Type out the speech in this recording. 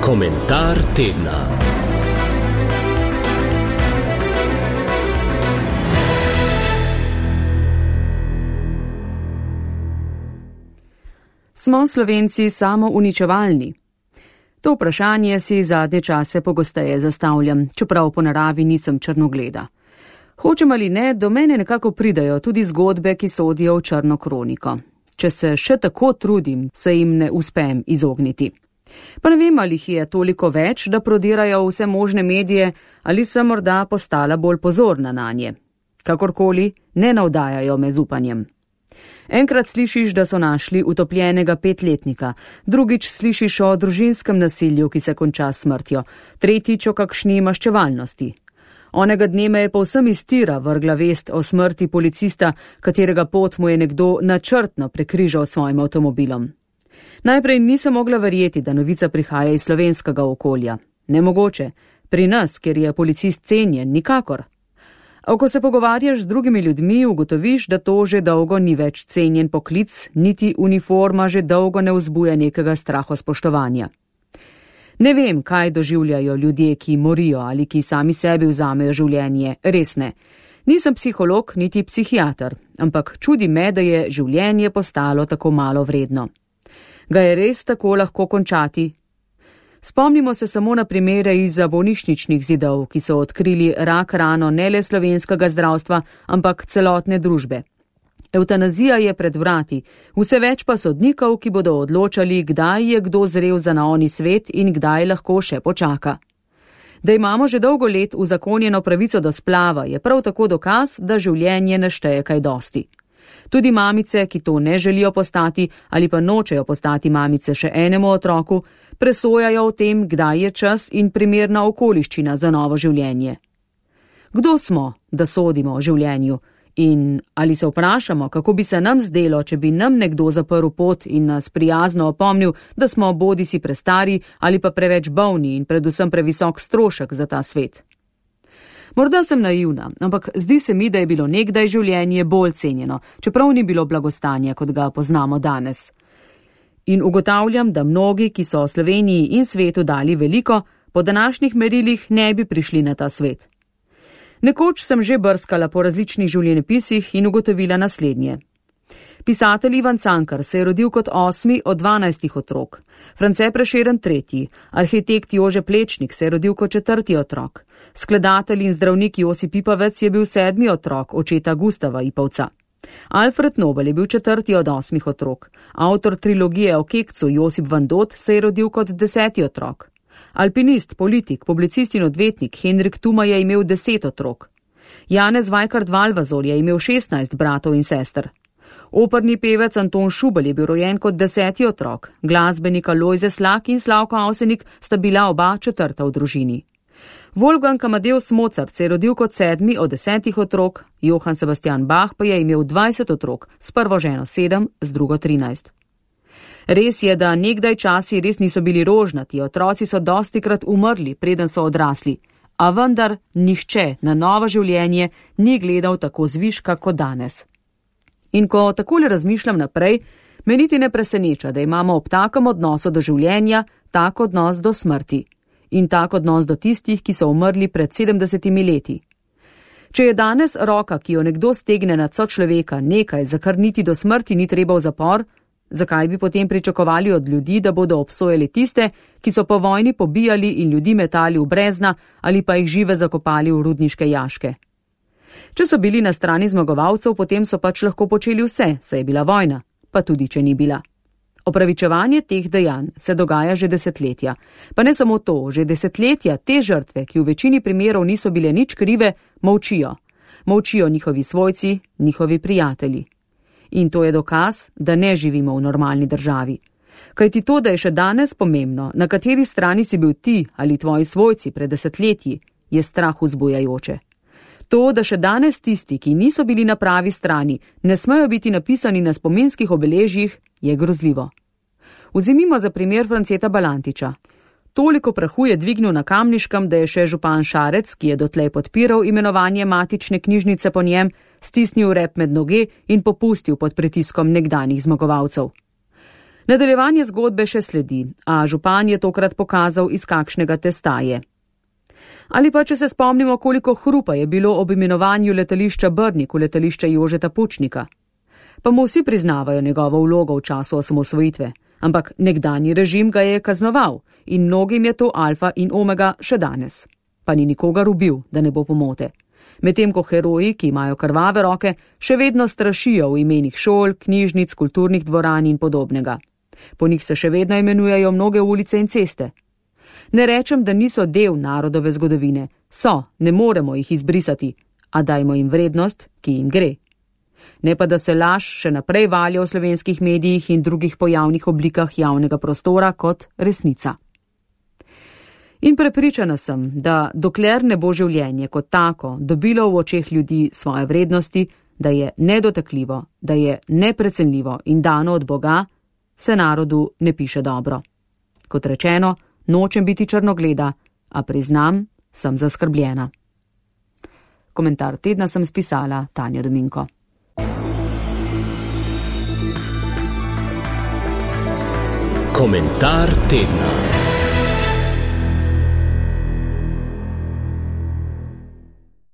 Komentar tedna. Smo Slovenci samouničevalni? To vprašanje si zadnje čase pogosteje zastavljam, čeprav po naravi nisem črnogleda. Hočem ali ne, do mene nekako pridajo tudi zgodbe, ki sodijo v črno kroniko. Če se še tako trudim, se jim ne uspem izogniti. Pa ne vem, ali jih je toliko več, da prodirajo vse možne medije, ali sem morda postala bolj pozorna nanje. Kakorkoli, ne navdajajo me z upanjem. Enkrat slišiš, da so našli utopljenega 5-letnika, drugič slišiš o družinskem nasilju, ki se konča s smrtjo, tretjič o kakšni maščevalnosti. Onega dne me je povsem iz tira vrgla vest o smrti policista, katerega pot mu je nekdo načrtno prekrižal s svojim avtomobilom. Najprej nisem mogla verjeti, da novica prihaja iz slovenskega okolja. Nemogoče, pri nas, kjer je policist cenjen, nikakor. A ko se pogovarjaš z drugimi ljudmi, ugotoviš, da to že dolgo ni več cenjen poklic, niti uniforma že dolgo ne vzbuja nekega strahospoštovanja. Ne vem, kaj doživljajo ljudje, ki morijo ali ki sami sebi vzamejo življenje, res ne. Nisem psiholog, niti psihiater, ampak čudi me, da je življenje postalo tako malo vredno. Ga je res tako lahko končati? Spomnimo se samo na primere izza bolnišničnih zidov, ki so odkrili rak rano ne le slovenskega zdravstva, ampak celotne družbe. Evtanazija je pred vrati, vse več pa sodnikov, ki bodo odločali, kdaj je kdo zrel za naoni svet in kdaj lahko še počaka. Da imamo že dolgo let uzakonjeno pravico do splava, je prav tako dokaz, da življenje ne šteje kaj dosti. Tudi mamice, ki to ne želijo postati ali pa nočejo postati mamice še enemu otroku, presojajo o tem, kdaj je čas in primerna okoliščina za novo življenje. Kdo smo, da sodimo o življenju? In ali se vprašamo, kako bi se nam zdelo, če bi nam nekdo zaprl pot in nas prijazno opomnil, da smo bodisi prestari ali pa preveč bolni in predvsem previsok strošek za ta svet? Morda sem naivna, ampak zdi se mi, da je bilo nekdaj življenje bolj cenjeno, čeprav ni bilo blagostanja, kot ga poznamo danes. In ugotavljam, da mnogi, ki so Sloveniji in svetu dali veliko, po današnjih merilih ne bi prišli na ta svet. Nekoč sem že brskala po različnih življenjepisih in ugotovila naslednje. Pisatelj Ivan Cankar se je rodil kot 8. od 12 otrok, France Prešeren 3., arhitekt Jože Plečnik se je rodil kot 4. otrok, skladatelj in zdravnik Josip Ipavec je bil 7. otrok očeta Gustava Ipavca. Alfred Nobel je bil 4. od 8 otrok, avtor trilogije o Kekcu Josip Van Dot se je rodil kot 10. otrok. Alpinist, politik, publicist in odvetnik Henrik Tuma je imel 10 otrok. Janez Vajkard Valvazor je imel 16 bratov in sester. Operni pevec Anton Šubel je bil rojen kot 10. otrok, glasbenika Lojze Slak in Slavko Avsenik sta bila oba 4. v družini. Wolfgang Amadeus Mozart se je rodil kot 7. od 10 otrok, Johann Sebastian Bach pa je imel 20 otrok, s prvo ženo 7, z drugo 13. Res je, da nekdaj časi res niso bili rožnati, otroci so dostikrat umrli, preden so odrasli, a vendar nihče na novo življenje ni gledal tako zviška kot danes. In ko takole razmišljam naprej, me niti ne preseneča, da imamo ob takem odnosu do življenja tak odnos do smrti in tak odnos do tistih, ki so umrli pred 70 leti. Če je danes roka, ki jo nekdo stegne nad sočloveka, nekaj, za kar niti do smrti ni treba v zapor, zakaj bi potem pričakovali od ljudi, da bodo obsojali tiste, ki so po vojni pobijali in ljudi metali v brezna ali pa jih žive zakopali v rudniške jaške? Če so bili na strani zmagovalcev, potem so pač lahko počeli vse, saj je bila vojna, pa tudi če ni bila. Opravičevanje teh dejanj se dogaja že desetletja. Pa ne samo to, že desetletja te žrtve, ki v večini primerov niso bile nič krive, molčijo. Molčijo njihovi svojci, njihovi prijatelji. In to je dokaz, da ne živimo v normalni državi. Kajti to, da je še danes pomembno, na kateri strani si bil ti ali tvoji svojci pred desetletji, je strah vzbujajoče. To, da še danes tisti, ki niso bili na pravi strani, ne smejo biti napisani na spominskih obeležjih, je grozljivo. Vzemimo za primer Franceta Balantiča. Toliko prahu je dvignil na Kamniškem, da je še župan Šarec, ki je dotlej podpiral imenovanje matične knjižnice po njem, stisnil rep med noge in popustil pod pritiskom nekdanjih zmagovalcev. Nadaljevanje zgodbe še sledi, a župan je tokrat pokazal, iz kakšnega testa je. Ali pa, če se spomnimo, koliko hrupa je bilo ob imenovanju letališča Brnik v letališče Jožeta Pučnika. Pa mu vsi priznavajo njegovo vlogo v času osamosvojitve, ampak nekdanji režim ga je kaznoval in mnogim je to alfa in omega še danes. Pa ni nikogar ubil, da ne bo pomote. Medtem ko heroji, ki imajo krvave roke, še vedno strašijo v imenih šol, knjižnic, kulturnih dvoran in podobnega. Po njih se še vedno imenujejo mnoge ulice in ceste. Ne rečem, da niso del narodove zgodovine, so, ne moremo jih izbrisati, a dajmo jim vrednost, ki jim gre. Ne pa, da se laž še naprej valja v slovenskih medijih in drugih pojavnih oblikah javnega prostora kot resnica. In prepričana sem, da dokler ne bo življenje kot tako dobilo v očeh ljudi svoje vrednosti, da je nedotakljivo, da je neprecenljivo in dano od Boga, se narodu ne piše dobro. Kot rečeno, nočem biti črnogleda, a priznam, sem zaskrbljena. Komentar tedna sem spisala Tanja Dominko. Komentar tedna.